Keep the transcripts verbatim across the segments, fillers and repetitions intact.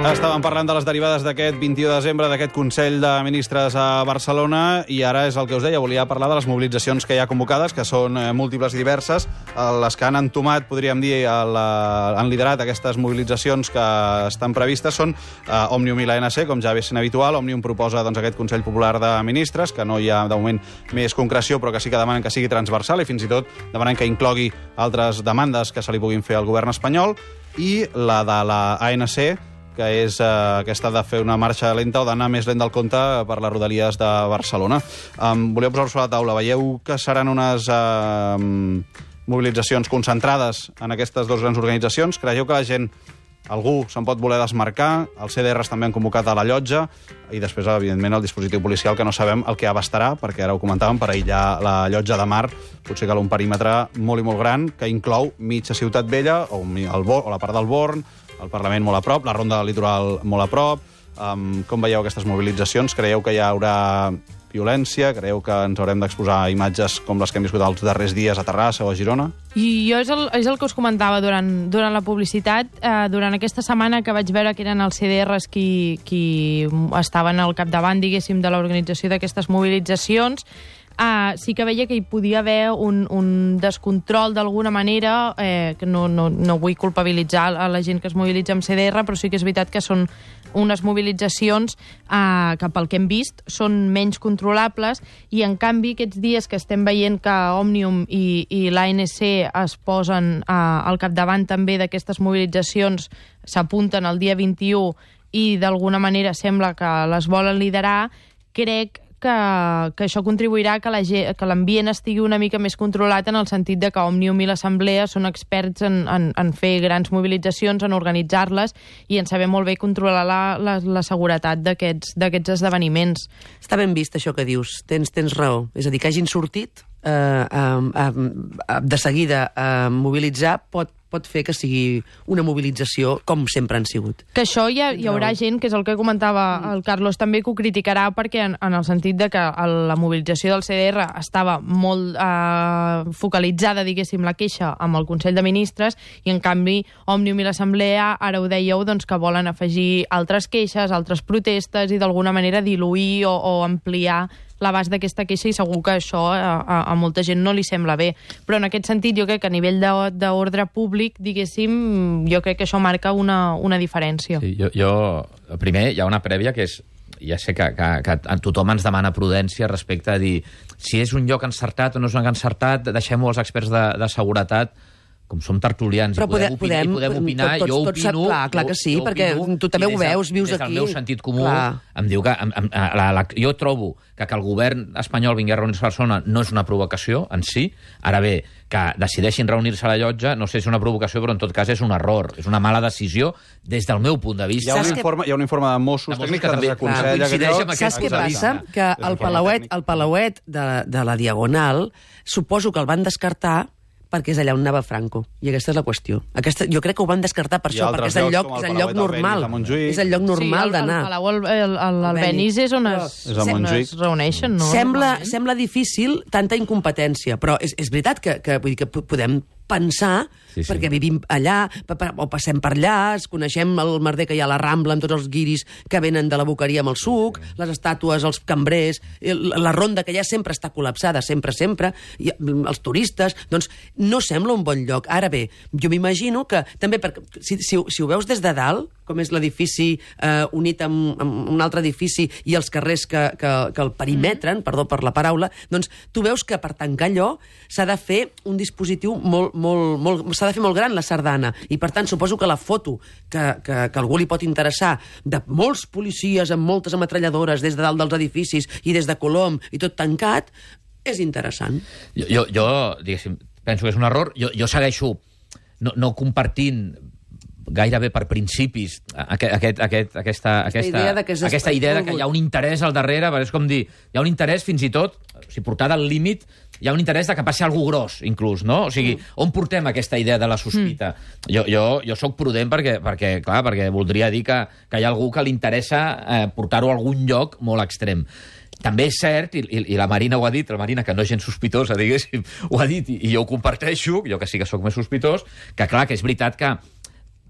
Estàvem parlant de les derivades d'aquest vint-i-u de desembre, d'aquest Consell de Ministres a Barcelona, i ara és el que us deia, volia parlar de les mobilitzacions que hi ha convocades, que són múltiples i diverses. Les que han entomat, podríem dir, el, han liderat aquestes mobilitzacions que estan previstes són eh, Òmnium i l'A N C, com ja ve sent habitual. Òmnium proposa doncs, aquest Consell Popular de Ministres, que no hi ha, de moment, més concreció, però que sí que demanen que sigui transversal i fins i tot demanen que inclogui altres demandes que se li puguin fer al govern espanyol. I la de la A N C, que és eh, aquesta de fer una marxa lenta o d'anar més lent del compte per les rodalies de Barcelona. Um, voleu posar-ho sobre la taula. Veieu que seran unes uh, mobilitzacions concentrades en aquestes dues grans organitzacions? Creieu que la gent, algú se'n pot voler desmarcar? Els C D Rs també han convocat a la Llotja i després, evidentment, el dispositiu policial, que no sabem el que abastarà, perquè ara ho comentàvem, per aïllar la Llotja de Mar potser cal un perímetre molt i molt gran que inclou mitja Ciutat Vella o, el Bo, o la part del Born, el Parlament molt a prop, la Ronda del Litoral molt a prop. Um, com veieu aquestes mobilitzacions? Creieu que hi haurà violència? Creieu que ens haurem d'exposar imatges com les que hem viscut els darrers dies a Terrassa o a Girona? I jo és el, és el que us comentava durant, durant la publicitat. Eh, durant aquesta setmana que vaig veure que eren els C D Rs qui, qui estaven al capdavant, diguéssim, de l'organització d'aquestes mobilitzacions, Uh, sí que veia que hi podia haver un, un descontrol d'alguna manera, eh, que no, no, no vull culpabilitzar a la gent que es mobilitza amb C D R, però sí que és veritat que són unes mobilitzacions uh, que, pel que hem vist, són menys controlables, i en canvi aquests dies que estem veient que Òmnium i, i l'A N C es posen uh, al capdavant també d'aquestes mobilitzacions, s'apunten el dia vint-i-u i d'alguna manera sembla que les volen liderar, crec que, que això contribuirà a que la ge- que l'ambient estigui una mica més controlat, en el sentit de que Òmnium i l'Assemblea són experts en, en, en fer grans mobilitzacions, en organitzar-les i en saber molt bé controlar la, la, la seguretat d'aquests d'aquests esdeveniments. Està ben vist això que dius, tens, tens raó. És a dir, que hagin sortit eh, eh, eh, de seguida a eh, mobilitzar pot pot fer que sigui una mobilització com sempre han sigut. Que això hi, ha, hi haurà gent, que és el que comentava el Carlos, també que ho criticarà, perquè en, en el sentit de que el, la mobilització del C D R estava molt eh, focalitzada, diguéssim, la queixa amb el Consell de Ministres, i en canvi Òmnium i l'Assemblea, ara ho dèieu, doncs, que volen afegir altres queixes, altres protestes, i d'alguna manera diluir o, o ampliar l'abast d'aquesta queixa, i segur que això a, a, a molta gent no li sembla bé. Però en aquest sentit jo crec que a nivell d'ordre públic, diguéssim, jo crec que això marca una, una diferència. Sí, jo, jo, primer, hi ha una prèvia que és, ja sé que, que, que tothom ens demana prudència respecte a dir si és un lloc encertat o no és un lloc encertat, deixem-ho als experts de, de seguretat. Com som tertulians i podem, podem, opinar, i podem opinar, tots, jo tots, opino... Clar, clar que sí, jo, jo perquè opino, tu també ho veus, vius des aquí. Des del meu sentit comú, clar. em diu que... Em, em, la, la, jo trobo que que el govern espanyol vingui a reunir-se a Barcelona no és una provocació en si. Ara bé, que decideixin reunir-se a la Llotja, no sé si és una provocació, però en tot cas és un error. És una mala decisió des del meu punt de vista. Hi ha un, informe, hi ha un informe de Mossos, de Mossos tècnics que, que desaconsella... Clar, Saps què passa? Que el Palauet, el Palauet de, de la Diagonal, suposo que el van descartar perquè és allà on anava Franco. I aquesta és la qüestió. Aquesta, jo crec que ho van descartar per això, perquè és el lloc, és el lloc normal. És el lloc normal d'anar. Sí, el Palau, el, el, el, el Benís és on es, és on es reuneixen, no? Sembla, sembla difícil tanta incompetència, però és, és veritat que, que, vull dir, que podem pensar, sí, sí. perquè vivim allà, o passem per allà, es coneixem el merder que hi ha a la Rambla amb tots els guiris que venen de la boqueria amb el suc, les estàtues, els cambrers, la ronda que ja sempre està col·lapsada, sempre, sempre, i els turistes, doncs no sembla un bon lloc. Ara bé, jo m'imagino que també, perquè, si, si, si ho veus des de dalt, com és l'edifici eh, unit amb, amb un altre edifici i els carrers que, que, que el perimetren, perdó per la paraula, doncs tu veus que per tancar allò s'ha de fer un dispositiu molt, molt, molt, s'ha de fer molt gran, la sardana, i per tant suposo que la foto que, que, que algú li pot interessar de molts policies amb moltes ametralladores des de dalt dels edificis i des de Colom i tot tancat, és interessant. Jo, jo, jo diguéssim, penso que és un error. Jo, jo segueixo no, no compartint gairebé per principis aquest, aquest, aquest, aquesta, aquesta, idea de que aquesta idea de que hi ha un interès al darrere, és com dir, hi ha un interès fins i tot, si portada al límit, hi ha un interès de que passi alguna gros, inclús, no? O sigui, mm. on portem aquesta idea de la sospita? Mm. Jo, jo, jo sóc prudent perquè, perquè, clar, perquè voldria dir que, que hi ha algú que li interessa eh, portar-ho a algun lloc molt extrem. També és cert, i, i, i la Marina ho ha dit, la Marina, que no és gens sospitosa, diguéssim, ho ha dit, i, i jo ho comparteixo, jo que sí que sóc més sospitós, que clar, que és veritat que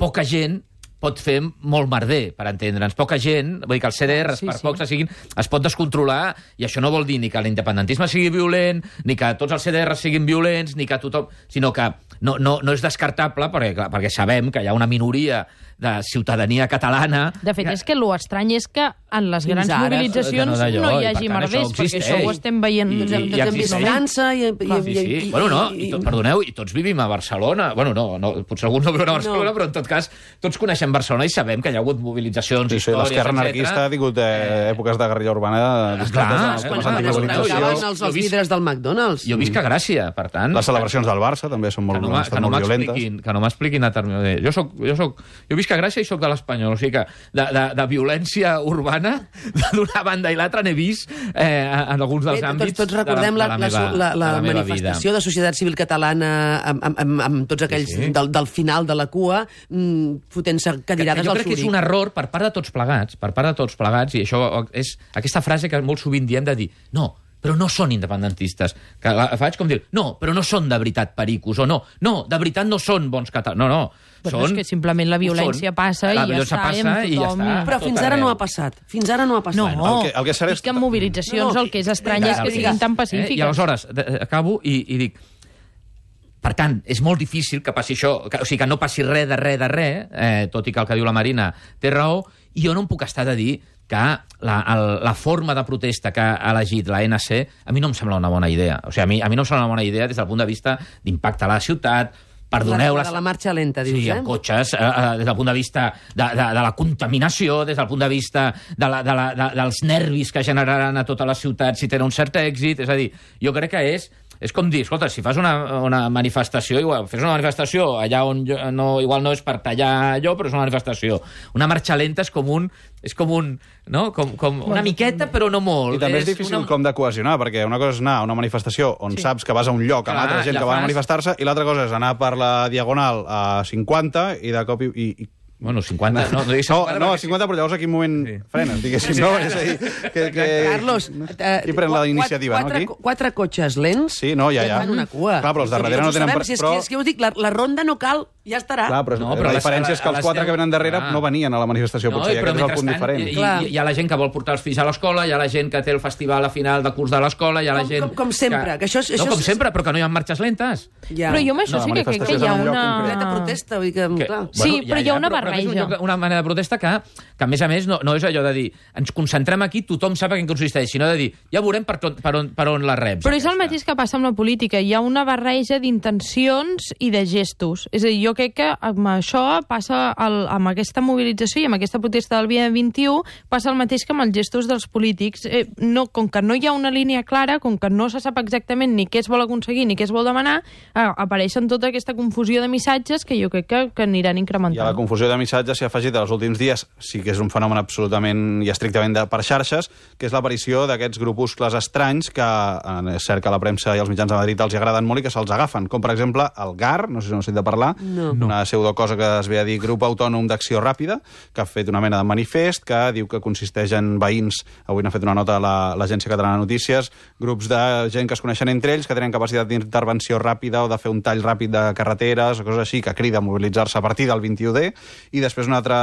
poca gent pot fer molt merder, per entendre'ns. Poca gent, vull dir que els C D Rs, Sí, per sí. pocs que siguin, es pot descontrolar, i això no vol dir ni que l'independentisme sigui violent, ni que tots els C D Rs siguin violents, ni que tothom... sinó que no, no, no és descartable, perquè, clar, perquè sabem que hi ha una minoria de ciutadania catalana... De fet, és que l'estrany és que en les Fins grans ara, mobilitzacions que no d'allò, no hi i per hagi tant merders, això perquè existeix. això ho estem veient. I- Doncs hem- i doncs hem existeix. vist França i... i, Sí, sí. i, Bueno, no, i, i tot, perdoneu, i tots vivim a Barcelona. Bueno, no, no potser alguns no viuen a Barcelona, No. però en tot cas tots coneixem Barcelona i sabem que hi ha hagut mobilitzacions, Sí, sí, històries, l'esquerra etcètera. anarquista ha tingut eh, èpoques de guerrilla urbana clar, discretes, eh, amb quan- les quan es antimobilitzacions. trencaven els, Jo els visc- vidres del McDonald's. Jo visc a Gràcia, per tant... Les celebracions del Barça també són que molt, no, m'ha- estan que no molt violentes. m'expliquin que no m'expliquin a terme- de- jo soc, jo soc jo visc a Gràcia i soc de l'Espanyol, o sigui que de, de, de violència urbana d'una banda i l'altra n'he vist eh, en alguns dels Bé, àmbits tots, tots recordem de la, la, la, de la, meva, la, la, de la meva manifestació vida. de societat civil catalana amb, amb, amb, amb tots aquells Sí, sí. Del, del final de la cua mm, fotent-se Que, que cadirades jo al crec que és Zurich. un error per part de tots plegats, per part de tots plegats, i això és aquesta frase que molt sovint diem de dir no, però no són independentistes. Que la faig com dir, no, però no són de veritat pericos, o no, no, de veritat no són bons catalans. No, no, Però són... és que simplement la violència són. passa La i ja violència està, passa i amb i ja tothom. està. Però tot fins ara arreu. no ha passat. Fins ara no ha passat. No, El que- el que és cert és dic que en que- mobilitzacions No, no, el que és estrany vinga, és que vinga. siguin tan Eh? pacífiques. I aleshores, de, acabo i, i dic... Per tant, és molt difícil que passi això, que, o sigui, que no passi res de res de res, eh, tot i que el que diu la Marina té raó, i jo no em puc estar de dir que la, el, la forma de protesta que ha elegit la N C a mi no em sembla una bona idea. O sigui, a mi, a mi no em sembla una bona idea des del punt de vista d'impacte a la ciutat, perdoneu... La, de la marxa lenta, dius, Sí, eh? amb cotxes, eh, eh, des del punt de vista de, de, de la contaminació, des del punt de vista de la, de la, de, dels nervis que generaran a tota la ciutat si tenen un cert èxit. És a dir, jo crec que és... És com dir, escolta, si fas una, una manifestació, igual, fes una manifestació allà on jo, no, igual no és per tallar allò, però és una manifestació. Una marxa lenta és com un... És com un... No? Com, com una miqueta, però no molt. I també és difícil una... com de cohesionar, perquè una cosa és anar a una manifestació on sí. saps que vas a un lloc amb Clar, altra gent la que va a fas. manifestar-se, i l'altra cosa és anar per la Diagonal a cinquanta i de cop i... i, i Bueno, cinquanta... No, no, no, no, a cinquanta, però llavors a quin moment sí. frenes, diguéssim, no? És a dir, que, que... Carlos, eh, qui pren la iniciativa, quatre, no, aquí? Quatre cotxes lents Sí, no, ja, ja. fan una cua. Clar, però els de darrere no tenen... Sabem, si és, però... que, és que us dic, la, la ronda no cal, ja estarà. Clar, però, No, no, però però la les- diferència és que a els les quatre deu- que venen darrere Ah. no venien a la manifestació, No, potser, i però aquest és el punt mentrestant, diferent. hi, Clar. hi, hi ha la gent que vol portar els fills a l'escola, hi ha la gent que té el festival a final de curs de l'escola, hi ha la Com- gent... com- com sempre, que això és- No, això com és- sempre, però que no hi ha marxes lentes. Ja. Però jo amb això No, sí la que crec que manifestació hi ha és en un lloc una... concret. Completa protesta, vull dir que, Que- clar. Sí, però hi ha una però- però és un barreja. lloc- una manera de protesta que, que, a més a més, no, no és allò de dir ens concentrem aquí, tothom sap en què consisteix, sinó de dir, ja veurem per, tot, per, on, per on la reps. Però és el aquesta. mateix que passa amb la política. Hi ha una barreja d'intencions i de gestos. És a dir, jo crec que amb això passa, el, amb aquesta mobilització i amb aquesta protesta del dia vint-i-u, passa el mateix que amb els gestos dels polítics. Eh, no, com que no hi ha una línia clara, com que no se sap exactament ni què es vol aconseguir ni què es vol demanar, eh, apareixen tota aquesta confusió de missatges que jo crec que, que aniran I a la incrementant. confusió de missatges s'hi ha afegit els últims dies, sí que és un fenomen absolutament i estrictament de, per xarxes, que és l'aparició d'aquests grupuscles estranys que eh, és cert que a la premsa i als mitjans de Madrid els agraden molt i que se'ls agafen, com per exemple el G A R, no sé si no sentit de parlar, No. una pseudocosa que es ve a dir Grup Autònom d'Acció Ràpida, que ha fet una mena de manifest que diu que consisteix en veïns, avui n'ha fet una nota a la- l'Agència Catalana de Notícies, grups de gent que es coneixen entre ells, que tenen capacitat d'intervenció ràpida o de fer un tall ràpid de carreteres o coses així, que crida a mobilitzar-se a partir del vint-i-u D, i després una altra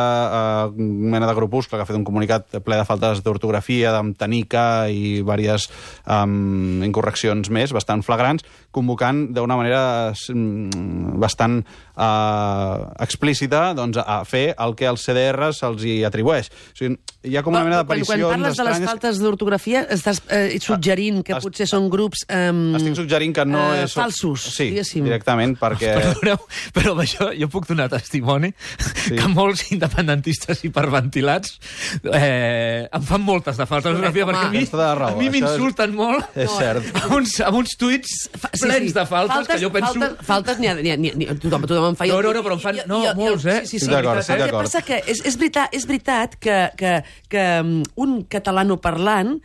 eh, mena de grupuscle que ha fet un comunicat ple de faltes d'ortografia, d'amtanica i diverses um, incorreccions més, bastant flagrants, convocant d'una manera mm, bastant eh, explícita doncs, a fer el que als C D Rs se'ls hi atribueix. O sigui, hi ha com una mena Quan, quan d'aparicions parles de les estranyes. faltes d'ortografia, estàs eh, suggerint que est- potser són grups... Eh, Estic suggerint que no eh, és... falsos, Sí, diguéssim. directament, perquè... Perdoneu, però amb això jo puc donar testimoni sí. que molts independentistes hiperventilats eh, em fan moltes de falta d'ortografia, Home, perquè a mi, tens tota la raó, a mi això és- m'insulten molt És cert. amb uns, amb uns tuits plens de faltes, que jo penso... Faltes, faltes n'hi ha, n'hi ha, n'hi ha, n'hi ha, tothom, tothom en fa. No, no, no, però en fan- no, molts, eh? Sí, sí, sí. Estic d'acord, estic El que d'acord. passa que és, és veritat, és veritat que, que, que um, un catalanoparlant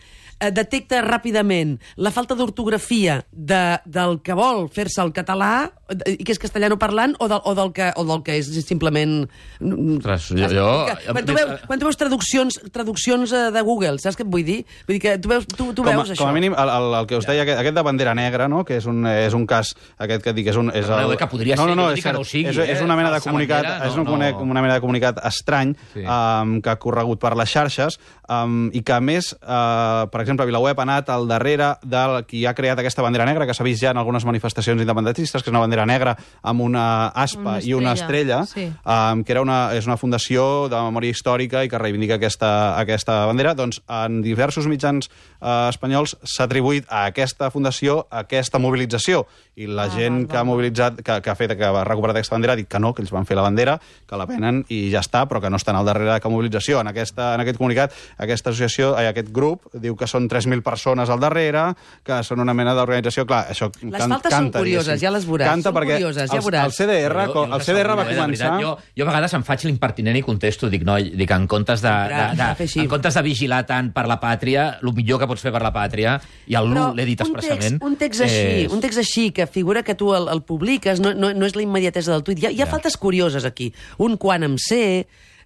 detecta ràpidament la falta d'ortografia de, del que vol fer-se el català, i que és castellano parlant, o del, o del, que, o del que és simplement... Ostres, jo... jo... Quan tu veus, quan tu veus traduccions, traduccions de Google, saps què et vull dir? Vull dir que tu veus, tu, tu com a, veus això. Com a mínim, el, el, el que us deia, aquest, aquest de bandera negra, no? Que és un, és un cas, aquest que et dic, és un... És el... No, que podria no, no, no, ser, és, que no ho sigui. És, és una mena de comunicat, bandera, és una, no, no. una mena de comunicat estrany sí. um, que ha corregut per les xarxes um, i que, a més, uh, per exemple, VilaWeb ha anat al darrere del qui ha creat aquesta bandera negra, que s'ha vist ja en algunes manifestacions independentistes, que és una bandera negra amb una aspa una i una estrella, sí. um, que era una, és una fundació de memòria històrica i que reivindica aquesta, aquesta bandera. Doncs en diversos mitjans uh, espanyols s'ha atribuït a aquesta fundació aquesta mobilització. I la ah, gent val, que ha mobilitzat, que, que ha fet, que ha recuperat aquesta bandera, ha dit que no, que ells van fer la bandera, que la venen i ja està, però que no estan al darrere de cap mobilització. En, aquesta, en aquest comunicat, aquesta associació, aquest grup, diu que són tres mil persones al darrere, que són una mena d'organització. Clar, això les can, faltes canta, són curioses, diguéssim. ja les veuràs. Canta són perquè curioses, ja el, veuràs. el C D R, jo, jo el C D R va començar... Jo, jo a vegades em faig l'impertinent i contesto, dic, no, dic, en comptes de, de, de, en comptes de vigilar tant per la pàtria, el millor que pots fer per la pàtria, i el l'U l'he dit expressament... Un text així, un text així, que figura que tu el, el publiques, no, no, no és la immediatesa del tuit. Hi ha, hi ha ja. faltes curioses aquí. Un quan em sé...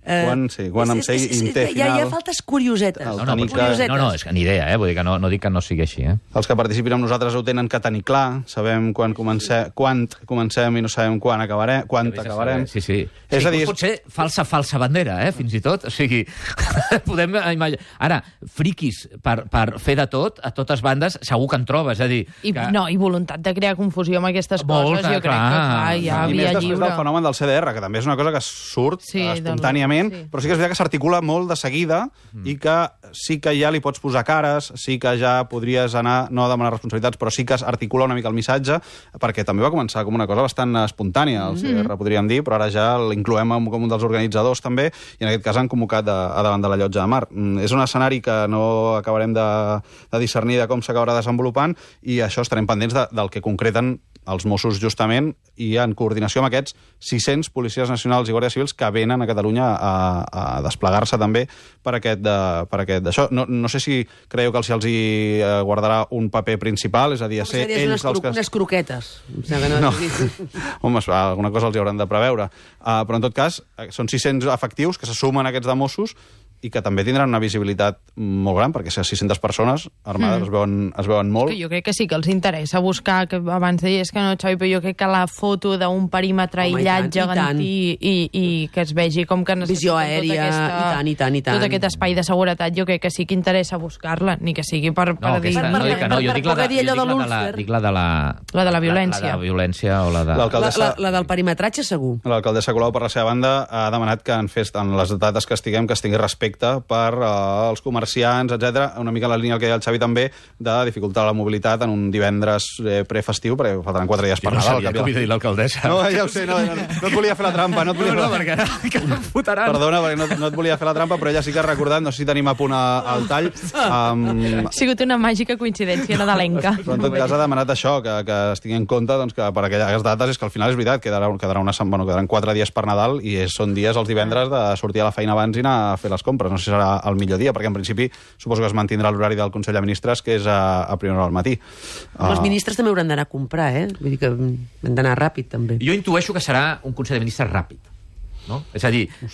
Eh, quan, sí, quan em sé i té final... Hi ha, hi ha faltes curiosetes. No, no, no, curiosetes. no, no, és que ni idea, eh? Vull dir que no, no dic que no sigui així. Eh? Els que participin amb nosaltres ho tenen que tenir clar, sabem quan comencem, quan comencem i no sabem quan acabarem, quan acabarem. Sí, sí. És sí, a dir, pot ser falsa, falsa bandera, eh? Fins i tot. O sigui, podem imaginar... Ara, friquis per, per fer de tot, a totes bandes, segur que en trobes, és a dir... I, que... No, i voluntat de crear confusió amb aquestes Molta, coses, jo crec clar. que clar, ja I havia més després lliure. del fenomen del C D R, que també és una cosa que surt sí, espontàniament, sí. però sí que és veritat que s'articula molt de seguida mm. i que sí que ja li pots posar cares, sí que ja podries anar, no a demanar responsabilitats, però sí que articula una mica el missatge, perquè també va començar com una cosa bastant espontània, el C D R, mm. podríem dir, però ara ja l'incloem com un dels organitzadors també, i en aquest cas han convocat de, a davant de la Llotja de Mar. Mm, és un escenari que no acabarem de, de discernir de com s'acabarà desenvolupant, i això estarem pendents de, del que concreten els Mossos justament, i en coordinació amb aquests sis-cents policies nacionals i guàrdies civils que venen a Catalunya a, a desplegar-se també per aquest, de, per aquest d'això. No, no sé si creieu que els, els hi guardarà un paper principal, és a dir, a ser ells unes, els que... unes croquetes. No. no. Home, alguna cosa els hi hauran de preveure. Uh, però en tot cas, són sis-cents efectius que se sumen a aquests de Mossos i que també tindran una visibilitat molt gran, perquè si sis-centes persones armades mm. es, veuen, es veuen molt. Jo crec que sí que els interessa buscar, que abans deies que no, Xavi, però jo crec que la foto d'un perímetre Home, aïllat gegantí i, i, i que es vegi com que visió aèria, aquesta, i tant, i tant, i tant. Tot aquest espai de seguretat, jo crec que sí que interessa buscar-la, ni que sigui per, per no, dir... Aquesta, no, dic que no, jo dic la de, jo dic la de la, dic la de la... La de la violència. La, la de la violència o la de... La, la, la del perimetratge, segur. L'alcaldessa Colau, per la seva banda, ha demanat que en, fes, en les dates que estiguem, que es tingui respecte per els comerciants, etcètera, una mica la línia que deia el Xavi també, de dificultar la mobilitat en un divendres eh, prefestiu, perquè faltaran quatre dies per no Nadal. Jo no sabia que havia dit l'alcaldessa. No, ja ho sé, no, no, no et volia fer la trampa. No, et volia no, no, fer... perquè que em fotran. Perdona, perquè no, no et volia fer la trampa, però ella sí que ha recordat, no sé si tenim a punt al tall. Um... Ha sigut una màgica coincidència nadalenca. Però en tot cas ha demanat això, que, que es tingui en compte doncs, que per aquelles dates és que al final és veritat, quedarà, quedarà una, bueno, quedaran quatre dies per Nadal i és, són dies els divendres de sortir a la feina abans i anar a fer les compres. No sé si serà el millor dia, perquè en principi suposo que es mantindrà l'horari del Consell de Ministres, que és a, a primera hora al matí. Uh... Els ministres també hauran d'anar a comprar, eh? Vull dir que han d'anar ràpid, també. Jo intueixo que serà un Consell de Ministres ràpid. No? És a dir... Eh...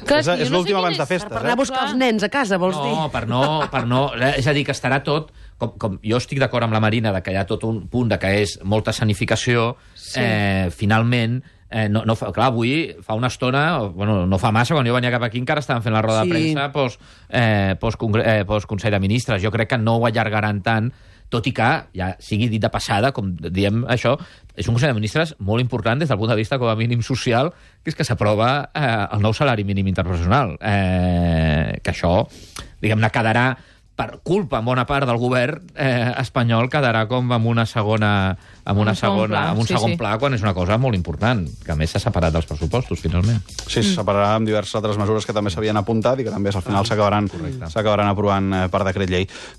Clar, és és no l'últim abans de festes. Per anar a buscar els nens a casa, vols no, dir? No, per no, per no... És a dir, que estarà tot... Com, com jo estic d'acord amb la Marina de que hi ha tot un punt de que és molta sanificació, sí. eh, finalment... Eh, no, no, clar, avui fa una estona, bueno, no fa massa, quan jo venia cap aquí encara estaven fent la roda sí. de premsa post, eh, post, eh, post Consell de Ministres. Jo crec que no ho allargaran tant, tot i que, ja sigui dit de passada, com diem això, és un Consell de Ministres molt important des del punt de vista com a mínim social, que és que s'aprova eh, el nou salari mínim interprofessional. Eh, que això, diguem-ne, quedarà per culpa, en bona part del govern eh, espanyol, quedarà com amb una segona, amb una segona, amb un sí, segon sí. pla, quan és una cosa molt important, que a més s'ha separat dels pressupostos, finalment. Sí, se separarà amb diverses altres mesures que també s'havien apuntat i que també al final s'acabaran s'acabaran aprovant per decret llei.